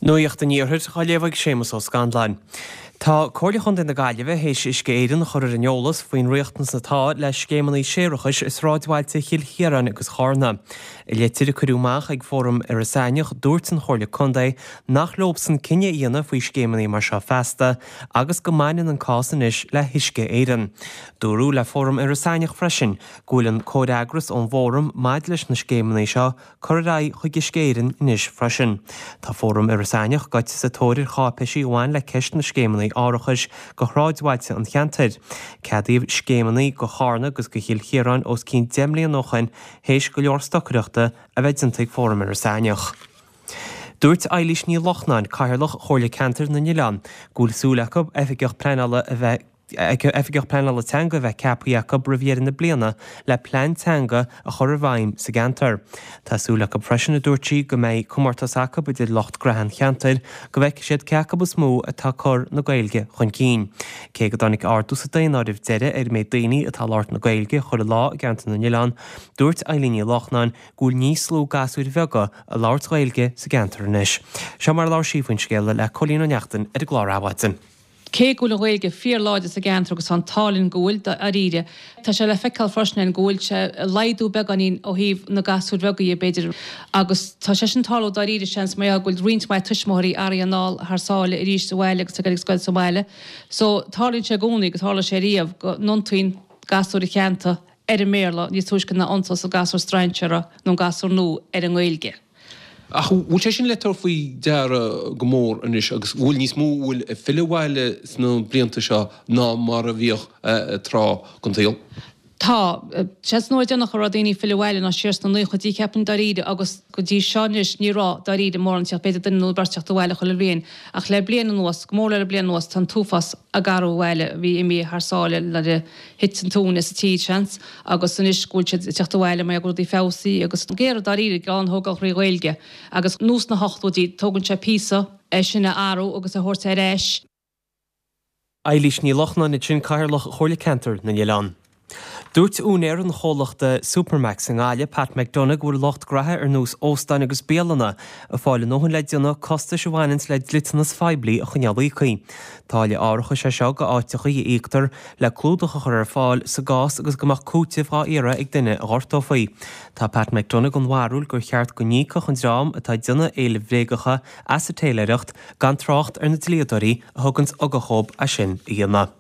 Nuacht an Iarthair á léamh ag Séamus Ó Scanláin. Tá Comhairle Chontae na Gaillimhe théis Uisce Éireann a chur ar an eolas faoin riachtanas atá le scéimeanna séarachais i sráidbhailte Chill Chiaráin agus Chárna. I litir a cuireadh amach ag Fóram Iorras Aithneach dúirt an Chomhairle Contae nach leobsan cinneadh a dhéanamh faoi scéimeanna mar seo feasta agus go mbaineann an cás anois le hUisce Éireann. Dúradh le Fóram Iorras Aithneach freisin go bhfuil an comhfhreagras ón bhFóram maidir leis na scéimeanna seo curtha ar aghaidh chuig Uisce Éireann anois freisin. Tá Fóram Iorras Aithneach gaibhte sa tóir ar cháipéisí a bhain le ceist na scéimeanna árachais go shráidbhailte an cheantair. Ceadaíodh scéimeanna go Chárna agus go Chill Chiaráin os cionn 10 mbliana ó shoin théis go leor stocaireachta a bheith déanta ag Fóram Iorras Aithneach. Dúirt Eilís Ní Lochnáin, Cathaoirleach Chomhairle Ceantair na nOileán, go bhfuil súil acu oifigeach pleanála a bheith Oifigeach Pleanála Teanga a bheith ceaptha acu roimh dheireadh na bliana le plean teanga a chur i bhfeidhm sa gceantar. Tá súil acu freisin, a dúirt sí, go mbeidh comórtas acu idir lucht graithe an cheantair go bhfeicfidh siad cé acu is mó atá ag cur na Gaeilge chun cinn. Cé go dtáinig ardú sa daonáireamh deiridh ar an méid daoine atá ag labhairt na Gaeilge chuile lá i gceantar na nOileán, dúirt Eilín Ní Lochnáin go bhfuil níos lú gasúir bheaga ag labhairt Gaeilge sa gceantar anois. Seo mar a labhair sí faoin scéal le Cóilín Ó Neachtain ar an gclár Adhmhaidin. Cé go bhfuil an Ghaeilge fíorláidir sa gceantar agus tá an t-ádh linn go bhfuil, dáiríre, tá sé le feiceáil freisin ann go bhfuil sé ag laghdú beagáinín ó thaobh na gasúir bheaga dhe, b'fhéidir, agus tá sé sin ag tarlú dáiríre, seans, mar gheall go bhfuil roinnt mhaith tuismitheoirí athraithe anall thar sáile arís abhaile agus ag dul ag scoil sa bhaile. So, tarlaíonn sé i gcónaí, agus tharla sé riamh, go n-iontaíonn gasúir an cheantair ar an mBéarla níos túisce ná iontós an gasúr strainséara nó an gasúr nua ar an nGaeilge. Ach bhfuil sé sin le tabhairt faoi deara go mór anois agus bhfuil níos mó a bhfuil ag filleadh abhaile sna blianta seo ná mar a bhíodh tráth den tsaol? Tá. Seans an uair deireanach a raibh daoine ag filleadh abhaile ná siar sna naochaidí, cheapfainn, dáiríre, agus go dtí seo anois ní raibh, dáiríre, mórán ag teacht, b'fhéidir duine nó beirt ag teacht abhaile chuile bhliain. Ach le bliain anuas, go mór le bliain anuas, tá an t-uafás ag athrú abhaile a bhí imithe thar sáile nuair a thit an tóin as an tír, seans. agus anois go bhfuil siad ag teacht abhaile mar go bhfuil rudaí feabhsaithe agus ag iarraidh dáiríre gean a thógáil thrí Ghaeilge agus nós na hochtóidí, tógann sé píosa é sin a athrú agus a thabhairt ar ais. Eilís Ní Lochnáin ansin, Cathaoirleach Chomhairle Ceantair na nOileán. Dúirt úinéir an chomhlachta Supermacs i nGaillimh, Pat McDonagh, go bhfuil lucht graithe ar nós óstáin agus bialanna ag fáil a ndóthain le déanamh costais a bhaineanns le dliteanas phoiblí a choinneáil íoctha. Táille árachais é seo go áiteachaí a íoctar le clúdach a chur ar fáil sa gcás agus go mbeadh cúiteamh dhá iarraidh ag duine a ghortófaí. Tá Pat McDonagh den bharúil gur cheart go n-íocfadh an dream atá ag déanamh éilimh bhréagacha as an téiléireacht, gan trácht ar na dlíodóirí a thuganns ugach dhób é sin a dhéanamh.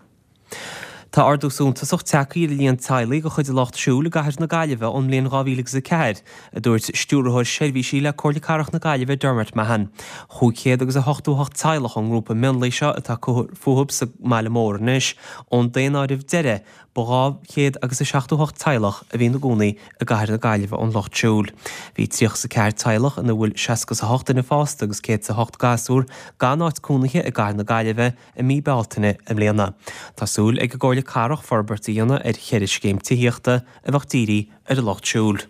Tá ardú suntasach tagtha ar an líon teaghlaigh de chuid an Lucht Siúil i gcathair na Gaillimhe ón mbliain 2004, a dúirt Stiúrthóir Seirbhísí le Comhairle Cathrach na Gaillimhe Dermot Mahon. 500 agus 88 teaghlach ón ngrúpa mionlaigh seo atá ag cur fúthu sa mbaile mór anois. Ón daonáireamh deiridh, ba 200 agus 78 teaghlach a bhí ina gcónaí i gcathair na Gaillimhe ón Lucht Siúil. Bhí 34 teaghlach ina bhfuil 68 duine fásta agus 108 gasúr gan áit cónaithe i gcathair na Gaillimhe i mí Bealtaine i mbliana. Tá súil ag an gComhairle Cathrach forbairt a dhéanamh ar cheithre scéim tithíochta a bheadh dírithe ar an lucht siúil.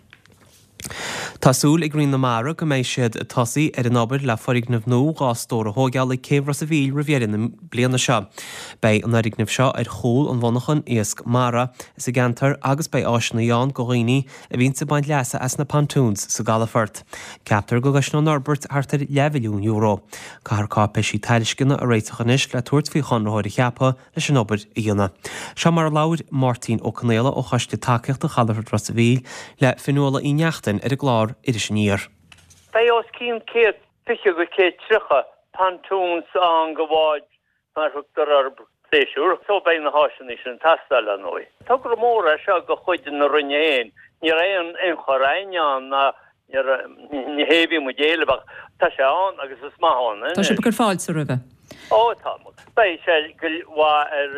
Tá súil ag Roinn na Mara go mbeidh siad ag tosaí ar an obair le foirgneamh nua 2 stór a thóigeáil ag Céibh Ros a' Mhíl roimh dheireadh na bliana seo. Beidh an fhoirgneamh seo ar chúl an mhonarchan iasc mara sa gceantar agus beidh áiseanna ann go dhaoine a bhíonns ag baint leasa as na pontoons sa gcalafort. Ceaptar go gcosnóidh an fhorbairt thart ar leathmhilliún euro. Caithfear cáipéisí tairisceana a réiteach anois le tabhairt faoi chonraitheoir a cheapadh leis an obair a dhéanamh. Seo mar a labhair Máirtín Ó Conaola ó Choiste Tacaíochta Chalafort Ros a' Mhíl le Fionnuala Uí Neachtain ar an gclár Iris Aniar. Beidh os cionn 120 go 130 pontoons ann go bháid mar a thugtar orthu, pléisiúr. So beidh na háiseanna sin ag teastáil, ar ndóigh. Togra mór é seo de chuid na Roinne féin. Ní raibh aon ionchur againn ann ná ní raibh, ní hé a bhí muid a éileamh ach tá sé ann agus is maith ann Tá anois. sibh ag cur fáilte roimhe. Ó tá. Beidh sé go mhaith ar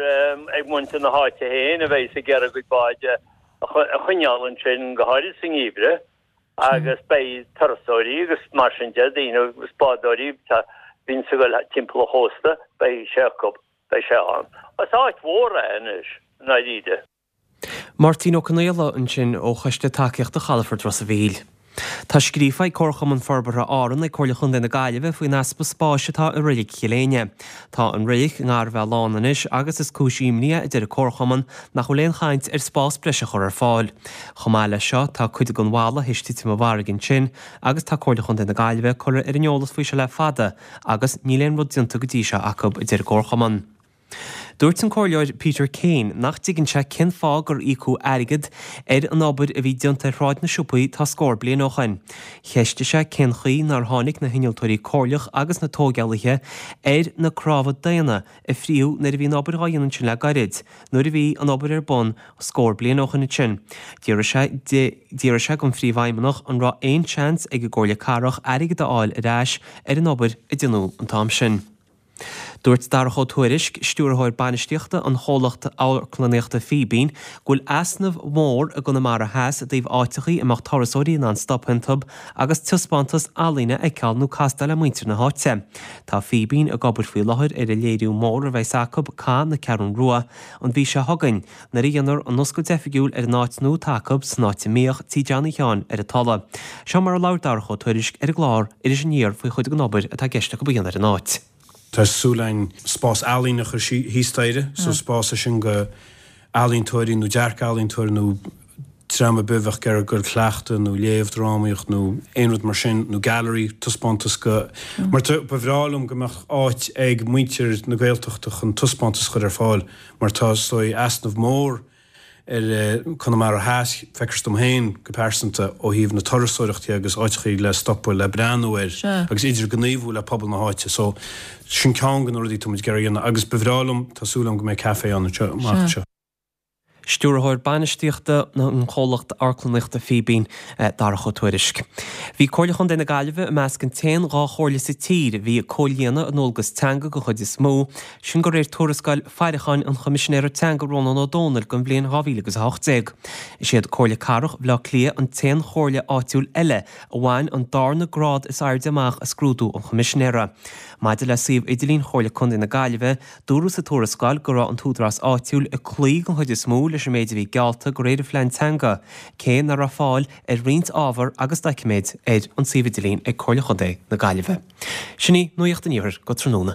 ag muintir na háite féin a bheidh ag iarraidh a gcuid báid a choinneáil ansin, go háirid sa ngeimhreadh. agus beidh turasóirí agus mar sin de, daoine agus bádóirí a bhíonns ag dul timpeall an chósta, beidh sé acu, beidh sé ann. Is áit mhór é anois, i ndáiríre. Máirtín Ó Conaola ansin ó Choiste Tacaíochta Chalafort Ros a' Mhíl. Tá scríofa ag Comharchumann Forbartha Árann ag Comhairle Chontae na Gaillimhe faoin easpa spáis atá i Reilig Chill Éinne. Tá an reilig i ngar a bheith lán anois agus is cúis imní é, a deir an Comharchumann, nach bhfuil aon chaint ar spás breise a chur ar fáil. Chomh maith leis seo, tá cuid den bhalla théis titim i bhfarraige ansin agus tá Comhairle Chontae na Gaillimhe curtha ar an eolas faoi seo le fada agus níl aon rud déanta go dtí seo acu, a deir an Comharchumann. Dúirt an Comhairleoir Peter Kane nach dtuigeann sé cén fáth gur íocadh airgead ar an obair a bhí déanta ar Shráid na Siopaí tá scór bliain ó shoin. Cheistigh sé cén chaoi nár tháinig na hinnealtóirí comhairleach agus na tóigeálaithe ar na cnámha daonna a fríodh nuair a bhí an obair dhá dhéanamh ansin le gairid, nuair a bhí an obair ar bun scór bliain ó shoin ansin. D'fhiafraigh sé d'fhiafraigh sé den Phríomhfheidhmeannach an raibh aon seans ag an gComhairle Cathrach airgead a fháil ar ais ar an obair a déanadh an t-am sin. Dúirt Darach Ó Tuairisg, Stiúrthóir Bainistíochta an chomhlacht amharclannaíochta Fíbín, go bhfuil easnamh mór i gConamara Theas i dtaobh áiteachaí a mbeadh turasóirí in ann stop iontu agus taispeántas ealaíne a fheiceáil nó castáil le muintir na háite. Tá Fíbín ag obair faoi láthair ar an léiriú mór a bheas acu, Cath na Ceathrún Rua, an mhí seo chugainn, nuair a dhéanfar an oscailt oifigiúil ar an áit nua atá acu san áit a mbíodh Tí Johnny Sheáin ar an Tulaigh. Seo mar a labhair Darach Ó Tuairisg ar an gclár Iris Aniar faoi chuid den obair atá i gceist acu a dhéanamh ar an áit. Tá súil againn spás ealaíne a chur thíos staighre, so spás é sin go ealaíontóirí nó dearc-ealaíontóirí nó dream ar bith a bheadh ag iarraidh goil cleachtadh nó léamh drámaíocht nó aon rud mar sin nó gallery, taispeántas go, mar tá, ba bhreá liom go mbeadh áit ag muintir na Gaeltachta chun taispeántas a chur ar fáil mar tá is dóigh easnamh mór ar Conamara Theas, feictear dom féin go pearsanta, ó thaobh na turasóireachta dhe agus áiteachaí le stopadh le breathnú air agus idirghníomhú le pobal na háite. So, sin ceann de na rudaí atá muid ag iarraidh a dhéanamh agus ba bhreá liom, tá súil agam go mbeidh café ann anseo amach anseo. Stiúrthóir Bainistíochta an chomhlacht amharclannaíochta Fíbín, Darach Ó Tuairisg. Bhí Comhairle Chontae na Gaillimhe i measc an t-aon 2 chomhairle sa tír a bhí ag comhlíonadh a ndualgas teanga den chuid is mó, sin de réir tuarascáil faireacháin an Choimisinéara Teanga Rónán Ó Domhnaill don bhliain 2018. Is iad Comhairle Cathrach Bhaile Átha Cliath an t-aon chomhairle áitiúil eile a bhain an darna grád is airde amach i scrúdú an Choimisinéara. Maidir le suíomh idirlín Chomhairle Contae na Gaillimhe, Dúradh sa tuarascáil go raibh an t-údarás áitiúil ag cloí den chuid is mó leis an méid a bhí geallta de réir an phlean teanga, cé nach raibh fáil ar roinnt ábhar agus doiciméid ar an suíomh idirlín ag Comhairle Chontae na Gaillimhe. Sin í Nuacht an Iarthair go tráthnóna.